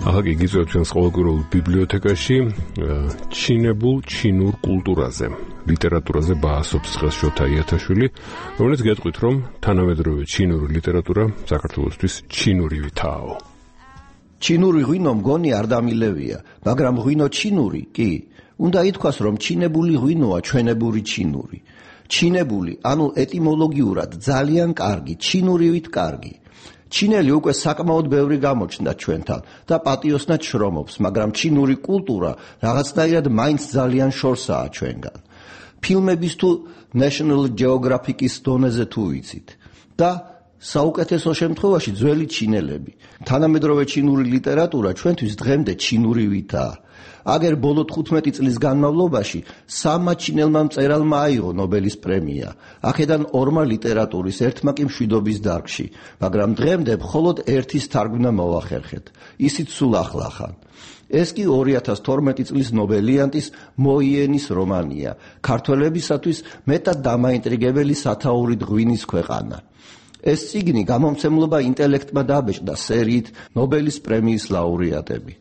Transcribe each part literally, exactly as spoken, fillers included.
ახლა გიწევთ ჩვენს ყოველკვირეულ ბიბლიოთეკაში ჩინებულ ჩინურ კულტურაზე, ლიტერატურაზე ბაასობს დღეს შოთა იათაშვილი, რომელიც გეტყვით, რომ თანამედროვე ჩინური ლიტერატურა საქართველოსთვის ჩინურივითაო. ჩინური ღვინო მგონი არ დამილევია, მაგრამ ღვინო ჩინური კი. უნდა ითქვას, რომ ჩინებული ღვინოა ჩვენებური ჩინური. ჩინებული, ანუ ეტიმოლოგიურად ძალიან კარგი, ჩინურივით კარგი. ჩინელი უკვე საკმაოდ ბევრი გამოჩნდა ჩვენთან და პატიოსნად შრომობს, მაგრამ ჩინური კულტურა რაღაცნაირად მაინც ძალიან შორსაა ჩვენგან. ფილმების თუ National Geographic-ის დონეზე თუ ვიცით. და საუკეთესო შემთხვევაში ძველი ჩინელები. თანამედროვე ჩინური ლიტერატურა ჩვენთვის დღემდე ჩინურივითაა. აგერ ბოლო თხუთმეტი წლის განმავლობაში სამმა ჩინელმა მწერალმა აიღო ნობელის პრემია. აქედან ორმა ლიტერატურის, ერთმა კი მშვიდობის დარგში, მაგრამ დღემდე მხოლოდ ერთის თარგმნა მოახერხეთ. ისიც სულ ახლახან. ეს კი ორი ათას თორმეტი წლის ნობელიანტის მოიენის რომანია, ქართველებისათვის მეტად დამაინტრიგებელი სათაურით ღვინის ქვეყანა. ეს წიგნი გამომცემლობა ინტელექტმა დაბეჭდა სერიით ნობელის პრემიის ლაურეატები.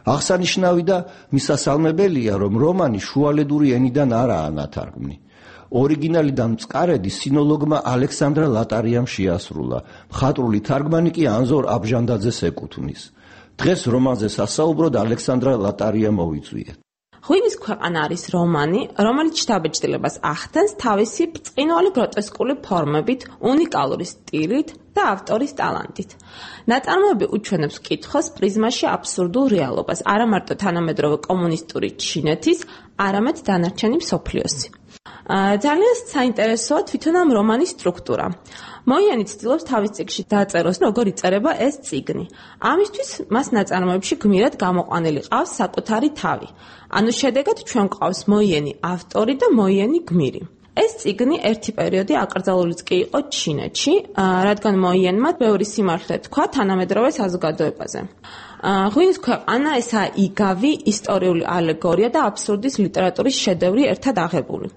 აღსანიშნავი და მისასალმებელია, რომ რომანი შუალედური ენიდან არაა ნათარგმნი. ორიგინალიდან მწყარედი სინოლოგმა ალექსანდრა ლატარიამ შეასრულა, მხატვრული თარგმანი კი ანზორ აბჟანდაძეს ეკუთვნის. დღეს რომანზე სასაუბროდ ალექსანდრა ლატარია მოვიწვიეთ. ღვინის ქვეყანა არის რომანი, რომელიც შთაბეჭდილებას ახდენს თავისი ბრწყინვალე გროტესკული ფორმებით, უნიკალური სტილით და ავტორის ტალანტით. ნაწარმოები უჩვენებს კითხვას პრიზმაში აბსურდულ რეალობას, არა მარტო თანამედროვე კომუნისტური ჩინეთის, არამედ დანარჩენი მსოფლიოსი. ძალიან საინტერესოა თვითონ ამ რომანის სტრუქტურა. მოიანი ცდილობს თავის წიგნში დაწეროს, როგორ იწერება ეს წიგნი. ამისთვის მას ნაწარმოებში გმირად გამოყვანილი ყავს საკუთარი თავი. ანუ შედეგად ჩვენ გვყავს მოიანი ავტორი და მოიანი გმირი. ეს წიგნი ერთი პერიოდი აკრძალულიც კი იყო ჩინეთში, რადგან მოიანმა ბევრი სიმართლე თქვა თანამედროვე საზოგადოებაზე. ღვინის ქვეყანა ესაა იგავი, ისტორიული ალეგორია და აბსურდის ლიტერატურის შედევრი ერთად აღებული.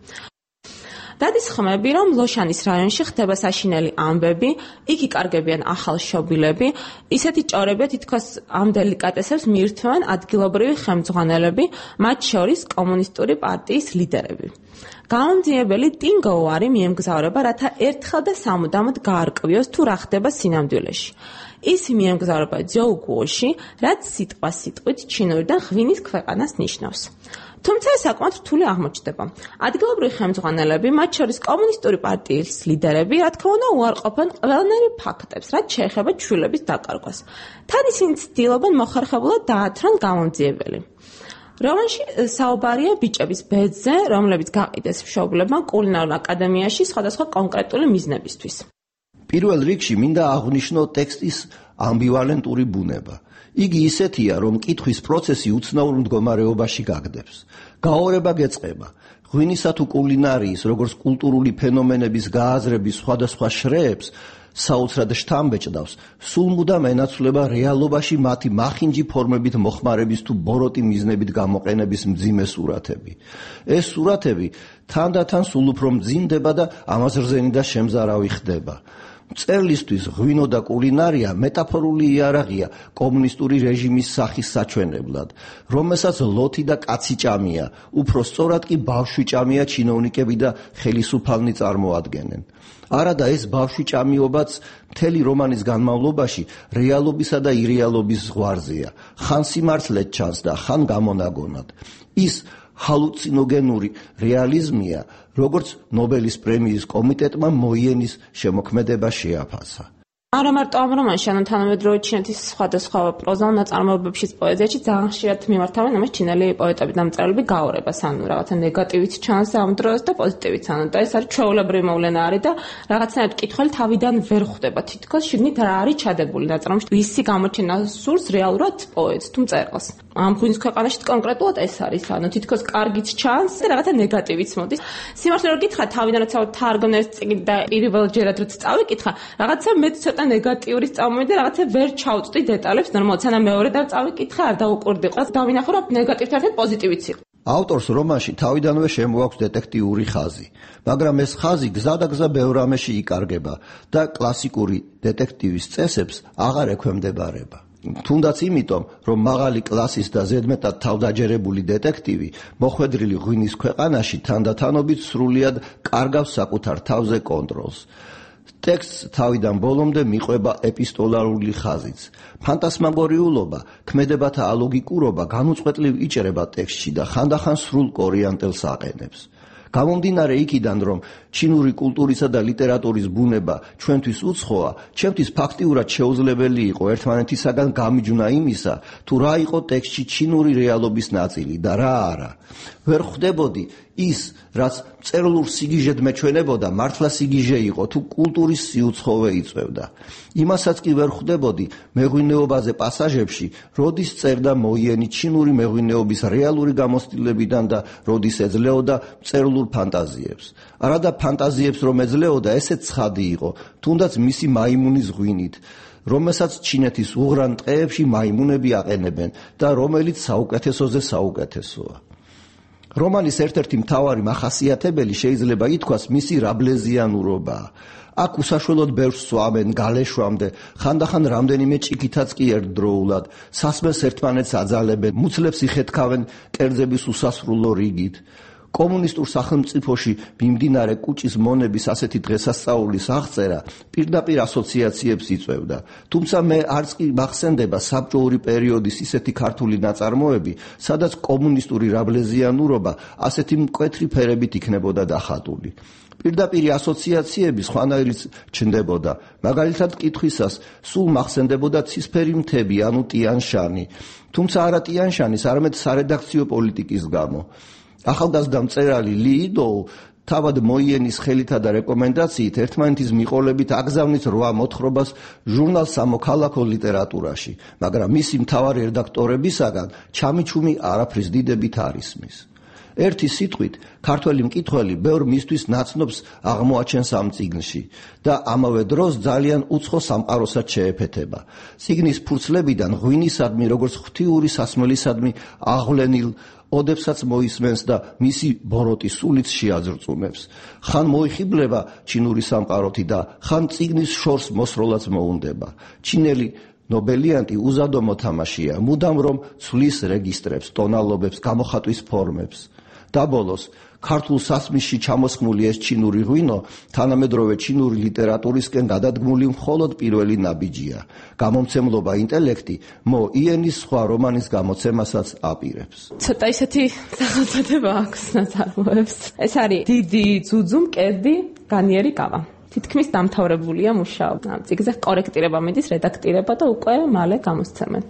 დადის ხმები, რომ ლოშანის რაიონში ხდება საშინელი ამბები, იქ იკარგებიან ახალშობილები, ისეთი ჭორები თითქოს ამ დელიკატესებს მიირთმევენ ადგილობრივი ხელმძღვანელები, მათ შორის კომუნისტური პარტიის ლიდერები. გამომძიებელი ტინგოუარი მიემგზავრება, რათა ერთხელ და სამუდამოდ გაარკვიოს თუ რა ხდება სინამდვილეში. ის მიემგზავრება ძოუგუოში, რაც სიტყვა სიტყვით ჩინურიდან ღვინის ქვეყანას ნიშნავს. თუმცა ეს საკმაოდ რთული აღმოჩნდება. ადგილობრივი ხელმძღვანელები, მათ შორის კომუნისტური პარტიის ლიდერები, რა თქმა უნდა, უარყოფენ ყველანაირ ფაქტებს, რაც შეეხება ჩვილების დაკარგვას. თან ისინი ცდილობენ მოხერხებულად დაათრონ გამომძიებელი. რომანში საუბარია ბიჭების ბედზე, რომლებიც გაყიდეს მშობლებმა კულინარულ აკადემიაში სხვადასხვა კონკრეტული მიზნებისთვის. პირველ რიგში მინდა აღვნიშნო ტექსტის ამბივალენტური ბუნება. იგი ისეთია, რომ კითხვის პროცესი უცნაურ მდგომარეობაში გაგდებს. გაორება გეწყება. ღვინისა თუ კულინარიის, როგორც კულტურული ფენომენების გააზრების სხვადასხვა შრეებს საოცრად შთამბეჭდავს, სულ მუდამ ენაცვლება რეალობაში მათი მახინჯი ფორმებით მოხმარების თუ ბოროტი მიზნებით გამოყენების მძიმე სურათები. ეს სურათები თანდათან სულ უფრო მძიმდება და ამაზრზენი და შემზარავი ხდება. მწერლისთვის ღვინო და კულინარია მეტაფორული იარაღია კომუნისტური რეჟიმის სახის საჩვენებლად, რომელსაც ლოთი და კაცი ჭამია, უფრო სწორად კი ბავშვი ჭამია ჩინოვნიკები და ხელისუფალნი წარმოადგენენ. არადა ეს ბავშვი ჭამიობაც მთელი რომანის განმავლობაში რეალობისა და ირეალობის ზღვარზეა, ხან სიმართლედ ჩანს და ხან გამონაგონად. ის ჰალუცინოგენური რეალიზმია, როგორც ნობელის პრემიის კომიტეტმა მოიენის შემოქმედება შეაფასა. არა მარტო ამ რომანში, ანუ თანამედროვე ჩინეთის სხვადასხვა პროზაულ ნაწარმოებებშიც პოეზიაში ძალიან ხშირად მიმართავენ ამას ჩინელი პოეტები და მწერლები გაორებას, ანუ რაღაცა ნეგატივით ჩანს ამ დროს და პოზიტივით, ანუ და ეს არის ჩვეულებრივი მოვლენა არის და რაღაცნაირად კითხველი თავიდან ვერ ხვდება, თითქოს შიგნით რა არის ჩადებული ნაწარმოებში, ვისი გამოჩენა სურს რეალურად პოეტს თუ მწერალს. ამ ღვინის ქვეყანაში კონკრეტულად ეს არის, ანუ თითქოს კარგიც ჩანს და რაღაცა ნეგატივიც მოდის. სიმართლე რომ გითხრა, თავიდან როცა თარგმნეს წიგნი და პირველჯერად როცა წავიკითხა, რაღაცა მეც ცოტა ნეგატიური წამოვიდა, რაღაცა ვერ ჩავწვდი დეტალებს ნორმალურად, სანამ მეორე და წავიკითხე, არ დაუკვირდი. ყავს დავინახო, რომ ნეგატივთან ერთად პოზიტივიც იყო. ავტორს რომანში თავიდანვე შემოაქვს დეტექტიური ხაზი, მაგრამ ეს ხაზი გზა და გზა ბევრ რამეში იკარგება და კლასიკური დეტექტივის წესებს აღარ ექვემდებარება. თუნდაც იმიტომ, რომ მაღალი კლასის და ზედმეტად თავდაჯერებული დეტექტივი მოხვედრილი ღვინის ქვეყანაში თანდათანობით სრულიად კარგავს საკუთარ თავზე კონტროლს. ტექსტს თავიდან ბოლომდე მიყვება ეპისტოლარული ხაზიც. ფანტასმაგორიულობა, ქმედებათა ალოგიკურობა განუწყვეტლივ იჭრება ტექსტში და ხანდახან სრულ კორიანტელს აყენებს. გამომდინარე იქიდან, რომ ჩინური კულტურისა და ლიტერატურის ბუნება ჩვენთვის უცხოა, ჩემთვის ფაქტიურად შეუძლებელი იყო ერთმანეთისაგან გამიჯვნა იმისა, თუ რა იყო ტექსტში ჩინური რეალობის ნაწილი და რა არა. ვერ ხვდებოდი ის, რაც წერილურ სიგიჟედ მეჩვენებოდა, მართლა სიგიჟე იყო, თუ კულტურის სიუცხოვე იწევდა. იმასაც კი ვერ ხვდებოდი მეღვინეობაზე პასაჟებში, როდის წერდა მოიენი ჩინური მეღვინეობის რეალური გამოცდილებიდან და როდის ეძლეოდა წერილურ ფანტაზიებს. არადა ფანტაზიებს რომ ეძლეოდა, ესეც ცხადი იყო, თუნდაც მისი მაიმუნის ღვინით, რომელსაც ჩინეთის უღრან ტყეებში მაიმუნები აყენებენ და რომელიც საუკეთესოზე საუკეთესოა. რომანის ერთ-ერთი მთავარი მახასიათებელი შეიძლება ითქვას მისი რაბლეზიანურობაა. აქ უსაშველოდ ბევრს სვამენ გალეშვამდე, ხანდახან რამდენიმე ჭიქითაც კი ერთდროულად, სასმელს ერთმანეთს აძალებენ, მუცლებს იხეთქავენ კერძების უსასრულო რიგით. კომუნისტურ სახელმწიფოში მიმდინარე კუჭის მონების ასეთი დღესასწაულის აღწერა პირდაპირ ასოციაციებს იწვევდა. თუმცა მე არც კი მახსენდება საბჭოური პერიოდის ისეთი ქართული ნაწარმოები, სადაც კომუნისტური რაბლეზიანურობა ასეთი მკვეთრი ფერებით იქნებოდა დახატული. პირდაპირი ასოციაციები სხვანაირიც ჩნდებოდა. მაგალითად კითხვისას სულ მახსენდებოდა ცისფერი მთები, ანუ ტიან-შანი. თუმცა არა ტიან-შანის, არამედ სარედაქციო პოლიტიკის გამო. ახალგაზრდა მწერალი ალი იდოუ თავად მოიენის ხელითა და რეკომენდაციით ერთმანეთის მიყოლებით აგზავნით რვა მოთხრობას ჟურნალ სამოქალაქო ლიტერატურაში, მაგრამ მისი მთავარი რედაქტორებისაგან ჩამიჩუმი არაფრის დიდებით არ ისმის. ერთი სიტყვით, ქართველი მკითხველი ბევრ მისთვის ნაცნობს აღმოაჩენს ამ წიგნში და ამავე დროს ძალიან უცხო სამყაროსაც შეეფეთება. წიგნის ფურცლებიდან ღვინისადმი, როგორც ღვთიური სასმელისადმი აღვლენილ ოდებსაც მოისმენს და მისი ბოროტი სულიც შეაძრწუნებს. ხან მოიხიბლება ჩინური სამყაროთი და ხან წიგნის შორს მოსროლაც მოუნდება. ჩინელი ნობელიანტი უზადო მოთამაშეა, მუდამ რომ ცვლის რეგისტრებს, ტონალობებს, გამოხატვის ფორმებს. და ბოლოს, ქართულ სასმისში ჩამოსხმული ეს ჩინური ღვინო თანამედროვე ჩინური ლიტერატურისკენ გადადგმული მხოლოდ პირველი ნაბიჯია. გამომცემლობა ინტელექტი მო იენის სხვა რომანის გამოცემასაც აპირებს. ცოტა ისეთი სახელწოდება აქვს ნაწარმოებს. ეს არის დიდი ძუძუ მკერდი განიერი გავა. თითქმის დამთავრებულია მუშაობა. წიგნზე კორექტირება მიდის, რედაქტირება და უკვე მალე გამოსცემენ.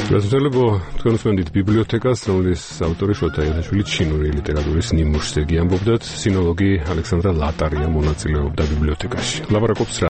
გასაგებია, თქვენ უსმენთ ბიბლიოთეკას, რომლის ავტორი შოთა იათაშვილი ჩინური ლიტერატურის ნიმუშზე გიამბობდათ, სინოლოგი ალექსანდრა ლატარია მონაწილეობდა ბიბლიოთეკაში. ლაპარაკობს